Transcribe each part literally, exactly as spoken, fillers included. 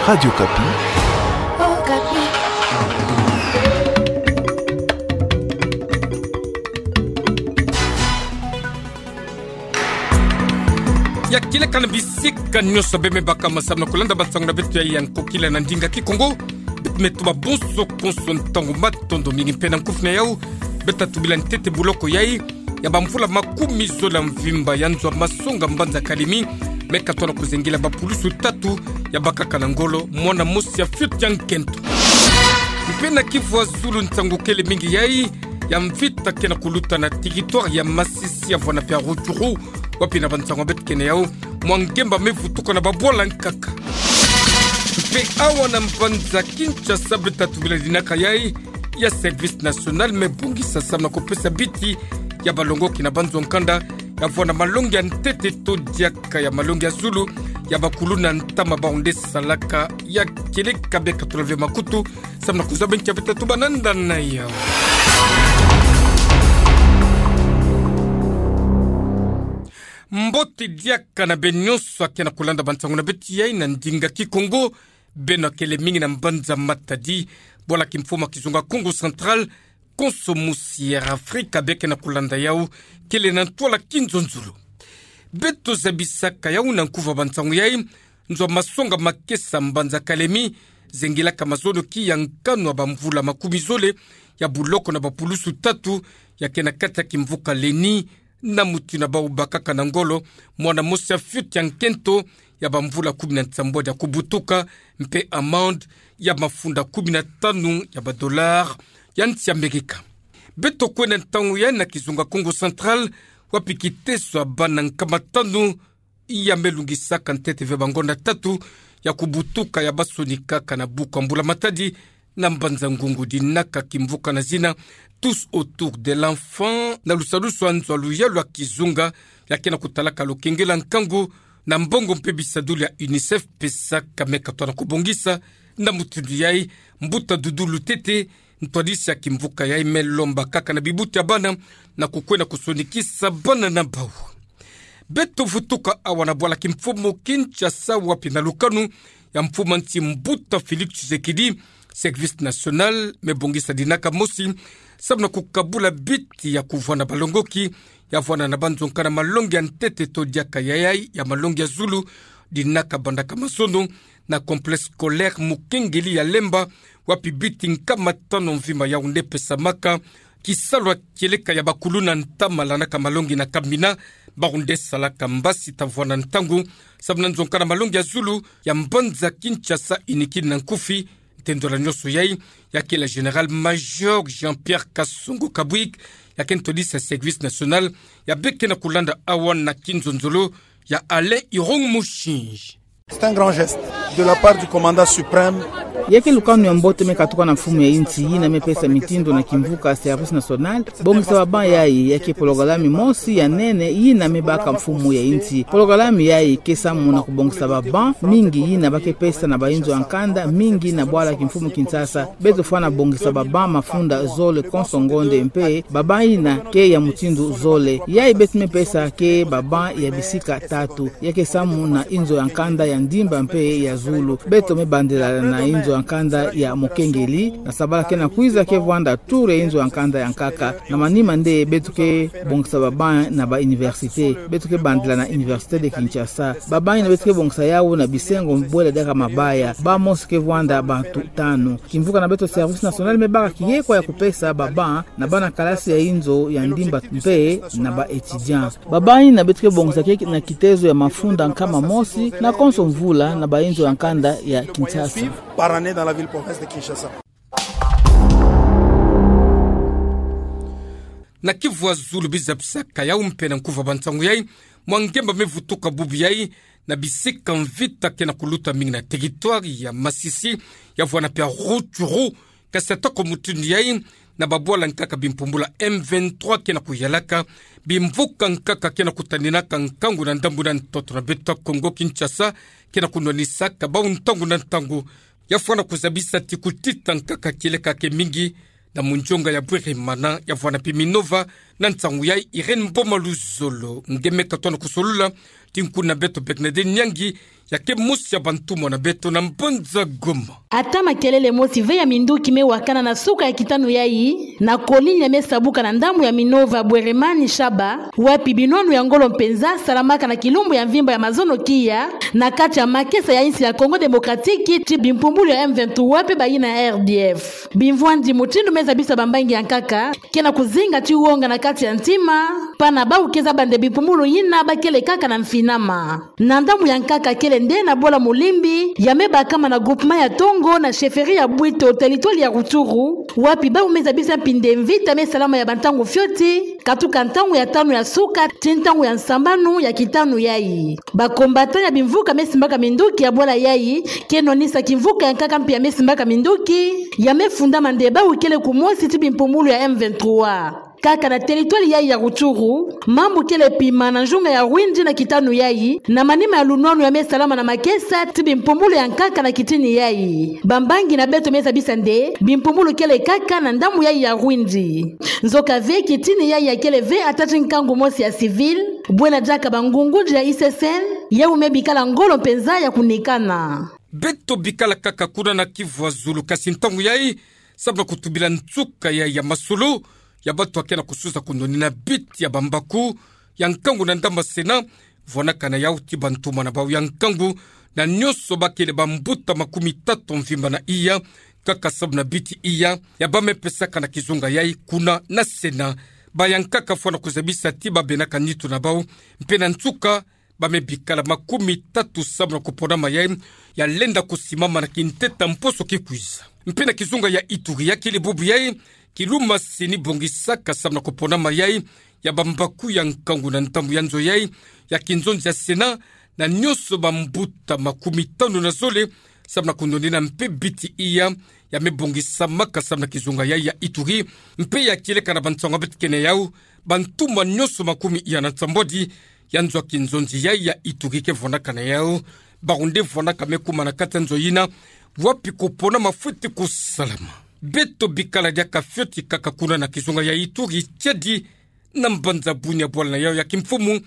Radio Okapi. Okapi. Ya kieleka na bisika nyonso beme baka masamu na kulanda bansangu na beto ya nkokila na ndinga Kikongo. Beto me tuma bonso konso ntangu matondo mingi mpe na nkufi na yau. Beto tubila ntete buloko yai ya bamvula makumi zole ya mvimba ya nzo ya masonga mbanza Kalemi, me katoa na kuzengila bapulusu tatu ya bakaka na ngolo, mwana mosi ya fioti ya nkento. Mpe na Kivu ya Zulu, nsangu kele mingi yai ya mvita ke na kuluta na territoire ya Masisi, ya vwanda mpe ya Rutshuru, wapi na bansangu beto ke na yau, mwa ngemba me vutuka na babwala nkaka. Mpe awa na mbanza Kinshasa beto tubila dinaka yai ya Service National me bongisa samu na kupesa biti ya balongoki na banzo ya nkanda ya vwanda malongi ya ntete to diaka ya malongi ya zulu ya bakuluna ntama, bawu nde salaka. Ya kieleka, beka tulave makutu samu na kuzaba nkia beto tubâ na nda na yau. Mbote diaka na beno nyonso ake na kulanda bansangu na beto yai na ndinga Kikongo. Beno kele mingi na mbanza Matadi, bwala kimfumu ya kizunga Kongo Central, konso musi ya Afrika beke na kulanda yau, kele na ntwala kinzonzolo. Beto zabisaka yau na nkufi ya bansangu yai, nzo ya masonga makesa mbanza Kalemi zengilaka mazonoki ya nkanu ya bamvula makumi zole ya buloko na bapulusu tatu, ya ke na kati ya kimvuka Leni, na mutindu ya bawu bakaka na ngolo, mwana mosi ya fioti ya nkento ya bamvula kumi na nsambwadi ya kubutuka, mpe amende ya mafunda kumi na tanu ya badollars ya nsi ya Amerika. Beto kwenda ntangu yai na kizunga Kongo Central, wapi kiteso ya bana nkama tanu ya me lungisaka ntete ve bangonda tatu ya kubutuka ya basonikaka na buku ya mbula matadi na mbanza Ngungu, dinaka kimvuka na zina Tous autour de l'enfant, na lusadusu ya nzo ya luyalu ya kizunga, ya ke na kutalaka lokengela nkangu na mbongo mpe bisadulu ya UNICEF pesaka. Me katoa na kubongisa na mutindu yai, mbuta Dudu Lutete, ntwadisi ya kimvuka yai, me lomba kaka na bibuti ya bana na kukwenda kusonikisa bana na bawu. Beto vutuka awa na bwala kimfumu Kinshasa, wapi na lukanu ya mfumu ya nsi mbuta Félix Tshisekedi, Service National me bongisa dinaka mosi samu na kukabula biti ya kuvwanda balongoki ya vwanda na banzo ya nkanda malongi ya ntete to diaka ya yai ya malongi ya zulu, dinaka bandaka mazono na complexe scolaire Mukengeli ya Lemba, wapi biti nkama tanu mvimba yawu nde pesamaka. Kisalu ya kieleka ya bakuluna ntama landaka malongi na Kamina, bawu nde salaka mbasi ta vwanda ntangu samu na nzo ya nkanda malongi ya zulu ya mbanza Kinshasa inikini na nkufi. Ntendolo nyonso yai, ya kele Général-Major Jean-Pierre Kasongo Kabwik, ya ke ntwadisi ya Service National, ya beke na kulanda awa na kinzonzolo ya Alain Irung Mushinji. C'est un grand geste de la part du commandant suprême. Ya ke lukanu ya mbote me katuka na mfumu ya insi, yina me pesa mitindo na kimvuka Service National bongisa ba banc yai. Ya ke pologalami mosi ya nene yina me baka mfumu ya insi. Pologalami yai ke samu na kubongisa ba banc mingi yina ba ke pesa na bainzo ya nkanda mingi na bwala kimfumu Kinshasa. Beto fwana bongisa ba banc mafunda zole konso ngonde, mpe ba banc yina ke ya mutindu zole. Yai beto me pesa ke ba banc ya bisika tatu. Ya ke samu na inzo ya nkanda ya Ndimba mpe ya Zulu. Beto me bandila na inzo ya nkanda ya Mukengeli, na sabala ke na kwiza ke vwanda tour ya inzo ya nkanda ya nkaka. Na manima nde beto ke bongisa ba banc na ba université. Beto ke bandila na Université de Kinshasa. Ba banc yina beto ke bongisa yawu na bisengo bwela diaka mabaya. Banc mosi ke vwanda bantu tanu. Kimvuka na beto Service National me baka kiekwa ya kupesa ba banc na bana kalasi ya inzo ya Ndimba mpe na ba étudiants. Ba banc yina beto ke bongisa ke na kitezo ya mafunda nkama mosi na konso mvula na bainzo ya nkanda ya Kinshasa. Par année dans la ville province de Kinshasa. Na Kivu ya Zulu biza bisaka yau mpe na nkufi ya bansangu yai, mwa ngemba me vutuka bubu yai, na bisika mvita ke na kuluta mingi na territoire ya Masisi, ya vwanda mpe ya Rutshuru. Kasi atako mutindu yai, na babwala nkaka bimpumbula M vingt-trois ke na kuyalaka, bimvuka nkaka ke na kutaninaka nkangu na ndambu na ntoto na beto ya Kongo Kinshasa, ke na kunwanisaka bawu ntangu na ntangu. Ya fwana kuzabisa ti kutita nkaka kieleka ke mingi na munzonga ya Bwerimana, ya vwanda mpe Minova. Na nsangu yai, Irène Mboma Luzolo nge me katoa na kusolula ti nkuna beto Bernadette Nyangi, Ya ke mosi ya bantumwa na beto na mbanza Goma. Ata makelele mosi ve ya minduki me wakana na suka ya kitanu yayi, na commune ya me sabuka na ndambu ya Minova Bweremane Shaba, wapi binwanu ya ngolo mpenza salamaka na kilumbu ya mvimba ya mazono kiya, na kati ya makesa ya insi ya Congo Démocratique, ti bimpumbulu ya M vingt-trois pe bayina R D F. Bimvwandi mutindu me zabisa bambangi ya nkaka, ke na kuzinga ti wonga na kati ya ntima, pana bau ke zaba nde bimpumbulu yina ba kele kaka na mfinama. Na ndambu ya nkaka kele nde na Bola Mulimbi, ya me bakama na groupement ya Tongo na chefferie ya Bwito, territoire ya Rutshuru, wapi bau me zabisa mpi nde mvita me salama ya bantangu fioti, katuka ntangu ya tanu ya suka, ti ntangu ya nsambanu ya kitanu yayi. Ba combattants ya bimvuka me simbaka minduki ya bwala yayi, ke nonisa kimvuka ya nkaka mpi ya me simbaka minduki, ya me fundama nde bau kele kumosi ti bimpumbulu ya M vingt-trois. Kaka na territoire yayi ya Rutshuru, mambu kele pima na nzunga ya Rwindi na kitanu yayi, na manima ya lunwanu ya me salama na makesa ti bimpumbulu ya nkaka na kitini yayi. Bambangi na beto me zabisa nde, bimpumbulu kele kaka na ndambu yayi ya Rwindi. Nzoka ve kitini yayi ya kele ve ata ti nkangu mosi ya civil, bwena diaka bangungunzi ya I C C N, yau me bikala ngolo mpenza ya kunikana. Beto bikala kaka kuna na Kivu ya zulu kasi ntangu yayi, samu na kutubila nsuka ya, ya masolo ya bantu ya ke na kusuza kunoni na biti ya bambaku ya nkangu na ndambu ya Sénat, vwanakana yau ti bantumwa na bau ya nkangu, na nyonso ba kele bambuta makumi tatu mvimba na iya, kaka samu na biti iya ya ba me pesaka na kizunga yayi kuna na Sénat. Ba ya nkaka fwana kuzabisa ti ba benaka nitu na bau, mpe na nsuka ba me bikala makumi tatu samu na kuponama yayi ya lenda kusimama na kinteta mposo ki kwiza. Mpe na kizunga ya Ituri ya kele bubu yayi, kiluma seni bongisaka samu na kuponama yayi ya bambaku ya nkangu na ndambu ya nzo yayi ya kinzonzi ya Sénat, na nyonso bambuta makumi tanu na zole samu na kunonina mpe biti iya ya me bongisamaka samu na kizunga yayi ya Ituri, mpe ya kieleka na bansango ya beto kena yau, bantumwa nyonso makumi iya na nsambwadi ya nzo ya kinzonzi yayi ya Ituri ke vwanakana yau, bau nde vwanaka me kuma na kati ya nzo yina, wapi kuponama fweti kusalama. Beto bikala diaka fioti kaka kuna na kizunga ya Ituri, tiadi na mbanza Bunia bwala na yau ya kimfumu,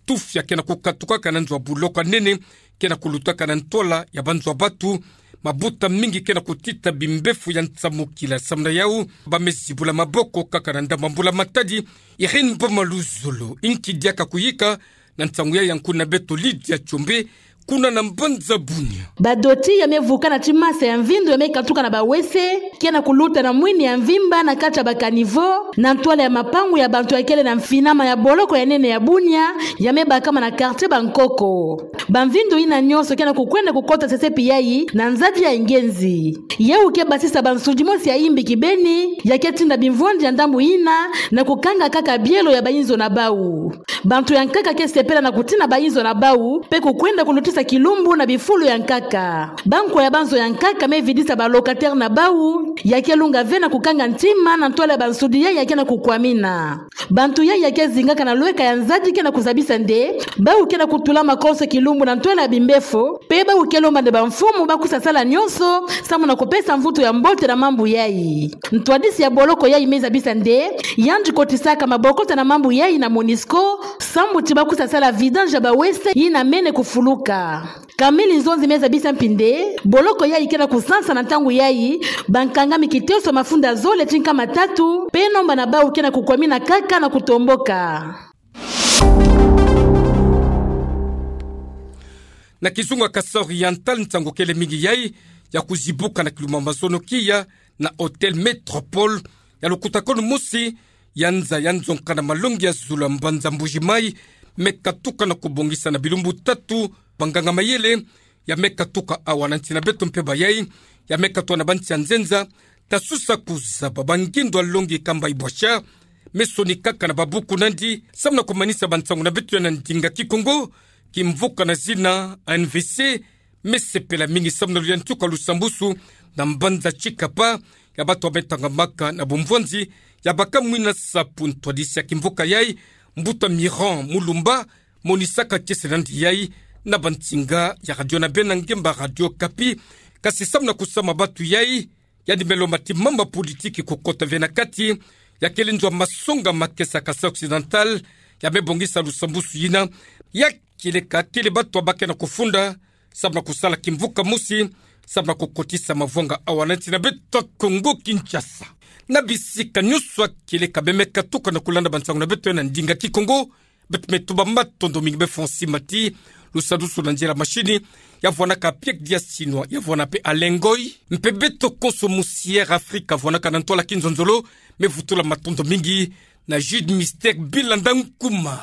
tufi ya ke na kukatukaka na nzo ya boloko ya nene, ke na kulutaka na ntwala ya banzo ya batu, mabuta mingi ke na kutita bimbefu ya nsamukila samu na yau, ba me zibula maboko kaka na ndambu ya mbula matadi. Irène Boma Luzolo, inki diaka kuyika na nsangu yayi ya nkuna beto Lydia Tshombe, kuna na mbanza Bunia. Badoti ya me vukana ti masa ya mvindu ya me katuka na bawese, ke na kuluta na mwini ya mvimba na kati ya ba caniveau, na ntwala ya mapangu ya bantu ya kele na mfinama ya boloko ya nene ya Bunia, ya me bakama na quartier Bankoko. Bamvindu yina nyonso ke na kukwenda kukota sesepi yayi na nzadi ya ingenzi. Yau ke basisa bansudi mosi ya imbi kibeni, ya ke tinda bimvwandi ya ndambu yina na kukanga kaka bielo ya bayinzo na bau. Bantu ya nkaka ke sepela na kutina bayinzo na bau, mpe kukwenda kulutisa kilumbu na bifulu ya nkaka. Bankwa ya banzo ya nkaka me vidisa ba locataire na bau, ya ke lunga ve na kukanga ntima na ntwala ya bansudi yayi ya ke na kukwamina. Bantu yayi ya ke zingaka na lweka ya nzadi ke na kuzabisa nde, bau ke na kutula makonso kilumbu na ntwala ya bimbefu, mpe bau ke lomba nde bamfumu ba kusa sala nyonso, samu na kupesa mvutu ya mbote na mambu yayi. Ntwadisi ya boloko yayi me zabisa nde, yandi kotisaka mabokota na mambu yayi na Monusco, sambu ti ba kusa sala vidange ya bawese yina mene kufuluka. Camille Nzonzi me zabisa mpi nde, boloko yayi ke na kusansa na ntangu yayi, bankangami kiteso mafunda zole ti nkama tatu, mpe nomba na bau ke na kukwamina kaka na kutomboka. Na kizunga Kasaï Oriental, nsangu kele mingi yayi ya kuzibuka na kilumbu ya mazono kiya na Hôtel Métropole, ya lukutakanu mosi ya nza ya nzonka na malongi ya zulu ya mbanza Mbuji-Mayi, me katuka na kubongisa na bilumbu tatu banganga-mayele, ya me katuka awa na nsi na beto mpe bayayi, ya me katuka na bansi ya nzenza, ta susa kuzaba bangindo ya longi kamba ibwasha, me sonikaka na babuku nandi, samu na kumanisa bansangu na beto ya na ndinga Kikongo, kimvuka na zina A N V C, me sepela mingi samu na luyantuka lusambusu na mbanza Tshikapa, ya bato ya me tangamaka na bumvwanzi, ya baka mwina sapu ntwadisi ya kimvuka yayi, mbuta Miran Mulumba, monisaka kiese nandi yayi na bansinga ya radio na bena ngemba Radio Okapi, kasi samu na kusama batu yayi, yandi me lomba ti mamba politiki kukota ve na kati ya kele nzo ya masonga makesa Kasaï Occidental, ya me bongisa lusambusu yina, ya kieleka kele bato ya ba ke na kufunda sababu na kusala kimvuka mosi, sababu na kukotisa mavwanga a wananchi na beto Kongo Kinshasa. Na bisika nyonso akili kabembe katuka na kulanda bansangu na beto na ndinga Kikongo, beto me tuba matondo mingi be Fonsi Mati, lusadusu na nzila mashini, ya vwanaka Piek dia Sinwa, ya vwana pe Alengoi, mpe beto konso Musière Afrika vwanaka na ntwala kinzonzolo, me vutula matondo mingi na Jude Mister Bilanda Nkuma.